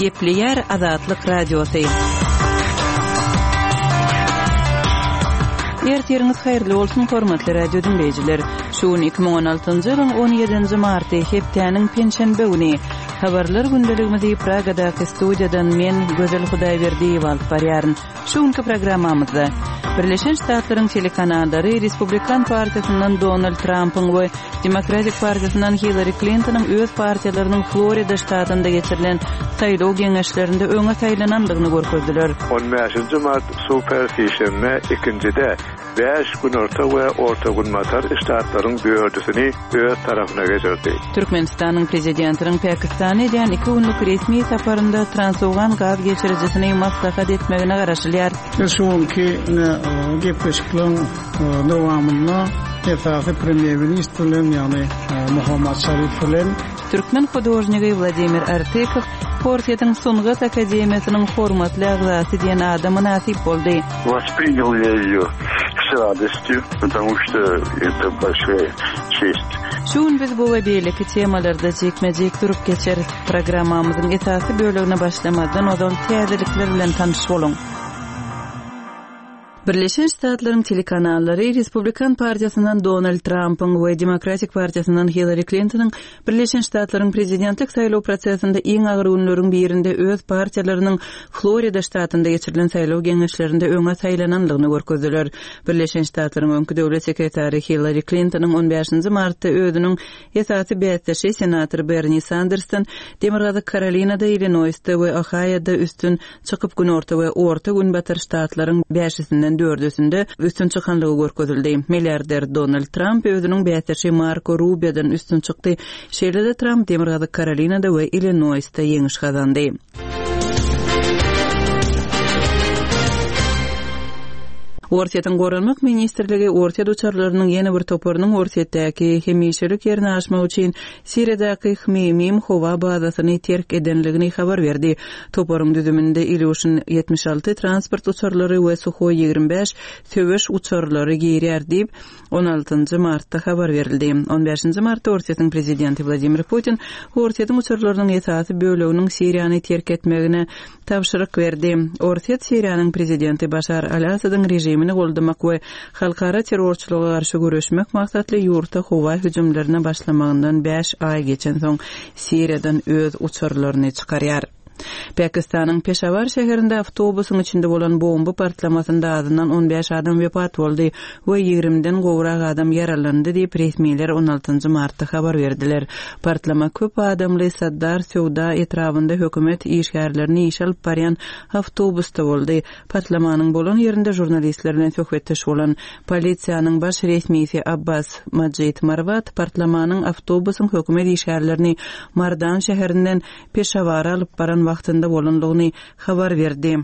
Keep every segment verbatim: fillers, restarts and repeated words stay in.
Gepleýär Azatlyk Radiosy. Ertiriňiz haýyrly bolsun, hormatly radio diňleýjiler. Şu gün iki müň on altynjy ýylyň on ýedinji marty, hepdäniň penşenbe güni. Habarlar gündeligimizi Pragadaky studiýadan men, Gözel Hudaýberdiýewa alyp barýaryn. Şu günki programmamyzda Birleşen Ştatlaryň telekanallary Respublikan partiýasyndan Donald Trampyň we Demokratik partiýasyndan Hillary Klintonyň öz partiýalarynyň Florida ştatynda geçirilen saýlaw geňeşlerinde öňe saýlanandygyny görkezdiler. On bäşinji mart super sişenbe ikinjide bäş günorta we orta günbatar ştatlaryň dördüsini öz tarapyna geçirdi. Türkmenistanyň prezidentiniň Pakistana edýän iki günlük resmi saparynda Transowgan gaz geçirijisini maslahat etmegine garaşylýar. Biz şu günki gepleşikleň dowamynda esasy premýer-ministr bilen, ýagny Muhammad Şarif bilen Türkmen hudožnigi Wladimir Artykow Orsýetiň Sungat akademiýasynyň hormatly agzasy diýen ada mynasyp boldy. Воспринял я ее с радостью, потому что это большая честь. Şu gün biz bu we beýleki temalarda jikme-jik durup geçeris. Programmamyzyň esasy bölegine başlamazdan ozal täzelikler bilen tanyş boluň. Birleşen Ştatlaryň telekanallary Respublikan partiýasyndan Donald Trampyň we Demokratik partiýasyndan Hillary Klintonyň Birleşen Ştatlaryň prezidentlik saýlaw prosesinde iň agyr günleriň birinde öz partiýalarynyň Florida ştatynda geçirilen saýlaw geňeşlerinde öňe saýlanandygyny görkezdiler. Birleşen Ştatlaryň öňki döwlet sekretary Hillary Klintonyň on bäşinji martda özüniň esasy bäsdeşi senator Bernie Sandersdan Demirgazyk Karolinada, Illinoisda we Ohioda üstün çykyp günorta we orta günbatar ştatlaryň bäşisinden dördüsinde üstün çykanlygy görkezildi. Milliarder Donald Trump özüniň bäsdeşi Marco Rubio'dan üstün çykdy. Şeýle-de Trump Demirgazyk Karolinada we Illinoisda ýeňiş gazandy. Orsýetiň Goranmak ministrligi Orsýet uçarlarynyň ýene bir toparynyň Orsýetdäki hemişelik ýerine aşmak üçin Siriýadaky Hmeýmim howa bazasyny terk edenligini habar berdi. Toparyň düzüminde Ilýushin ýetmiş alty transport uçarlary we Suhoý ýigrimi bäş söweş uçarlary girýär diýip on altynjy martda habar berildi. On bäşinji martda Orsýetiň prezidenti Wladimir Putin Orsýetiň uçarlarynyň esasy böleginiň Siriýany terk etmegine tabşyryk berdi. Orsýet Siriýanyň prezidenti Başar al-Asadyň režimini goldamak we halkara terrorçylyga garşy göreşmek maksatly ýurtda howa hüjümlerine başlamagyndan bäş aý geçen soň Siriýadan öz uçarlaryny çykarýar. Pakistanyň Peşawar şäherinde awtobusyň içinde bolan bomba partlamasynda azyndan on bäş adam wepat boldy we ýigrimden gowrak adam ýaralandy diýip resmiler on altynjy martda habar berdiler. Partlama köp adamly Saddar söwda etrabynda hökümet işgärlerini işe alyp barýan awtobusda boldy. Partlamanyň bolan ýerinde jurnalistler bilen söhbetdeş bolan polisiýanyň baş resmisi Abbas Majid Marwat partlamanyň awtobusyň hökümet işgärlerini Mardan şäherinden Peşawara alyp baran wagtynda bolanlygyny habar berdi.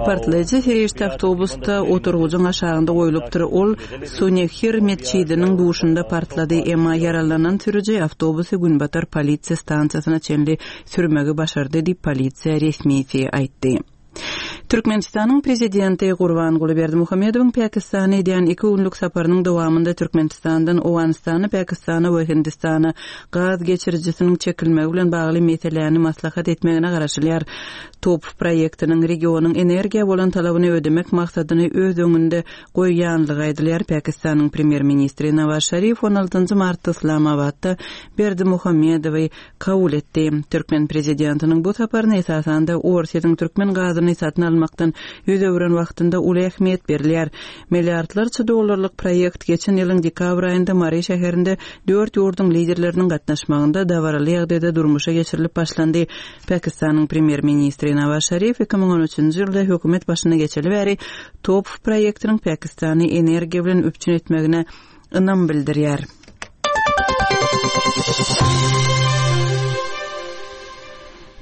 Partlaýjy serişde awtobusda oturgyjyň aşagynda goýlupdyr. Ol Sunehir metjidiniň duşunda partlady. Emma ýaralanan sürüji awtobusy Günbatar polisiýa stansiýasyna çenli sürmegi başardy diýip polisiýa resmisi aýtdy. Türkmenistanyň prezidenti Gurbanguly Berdimuhamedowyň Pakistana edýän iki günlük saparynyň dowamynda Türkmenistandan Owganystana, Pakistana we Hindistana gaz geçirijisiniň çekilmegi bilen bagly meseläni maslahat etmegine garaşylýar. Top proýektiniň regionyň energiýa bolan talabyny ödemek maksadyny öz öňünde goýýanlygy aýdylýar. Pakistanyň premýer-ministri Nawaz Şarif on altynjy martda Islamabadda Berdimuhamedowy kabul etdi. Türkmen prezidentiniň bu saparyna esasanda Orsýetiň türkmen gazyny satyn almakdan ýüz öwren wagtynda uly ähmiýet berilýär. Milliardlarça dollarlyk proýekt geçen ýylyň dekabr aýynda Mary şäherinde dört ýurduň liderleriniň gatnaşmagynda dabaraly ýagdaýda durmuşa geçirilip başlandy. Pakistanyň premýer-ministri Nawaz Şarif iki müň on üçünji ýylda hökümet başyna geçeli bäri Top proýektiniň Pakistany energiýa bilen üpjün etmegine ynam bildirýär.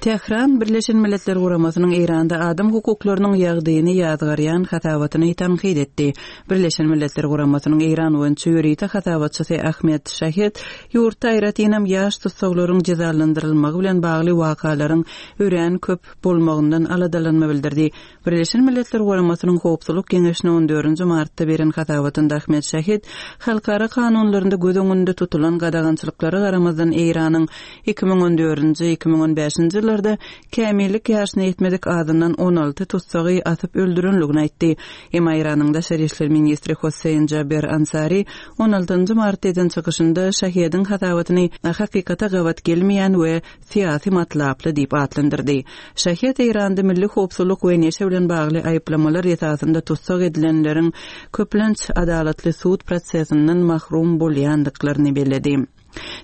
Tähran Birleşen Milletler Guramasynyň Eýranda adam hukuklarynyň ýagdaýyny ýazgarýan hasabatyny tankyt etdi. Birleşen Milletler Guramasynyň Eýran boýunça ýörite hasabatçysy Ahmet Şahed ýurtda aýratynam ýaş tussaglaryň jezalandyrylmagy bilen bagly wakalaryň örän köp bolmagyndan aladalanma bildirdi. Birleşen Milletler Guramasynyň Howpsuzlyk Geňeşine on dördünji martda beren hasabatynda Ahmet Şahed halkara kanunlarynda göz öňünde tutulan gadagançylyklara garamazdan Eýranyň iki müň on dördünji, iki müň on bäşinji ýyllarda kämillik ýaşyna ýetmedik azyndan on alty tutsagy asyp öldürenligini aýtdy. Emma Eýranyň daşary işler ministri Hossein Jaber Ansari on altynjy martda eden çykyşynda Şahediň hasabatyny hakykata gabat gelmeýän we syýasy matlaply diýip atlandyrdy. Şahed Eýranda milli howpsuzlyk we neşe bilen bagly aýyplamalar esasynda tutsak edilenleriň köplenç adalatly sud prosesinden mahrum bolýandyklaryny belledi.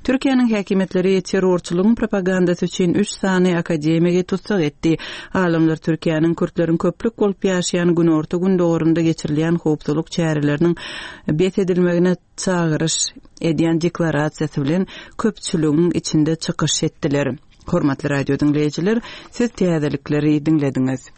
Türkiýäniň häkimiýetleri terrorçylygyň propagandasy üçin üç sany akademigi tutsak etdi. Alymlar Türkiýäniň kürtleriň köplük bolup ýaşaýan günorta gündogurynda geçirilýän howpsuzlyk çäreleriniň bes edilmegine çagyryş edýän deklarasiýasy bilen köpçüligiň içinde çykyş etdiler. Hormatly radio diňleýjiler, siz täzelikleri diňlediňiz.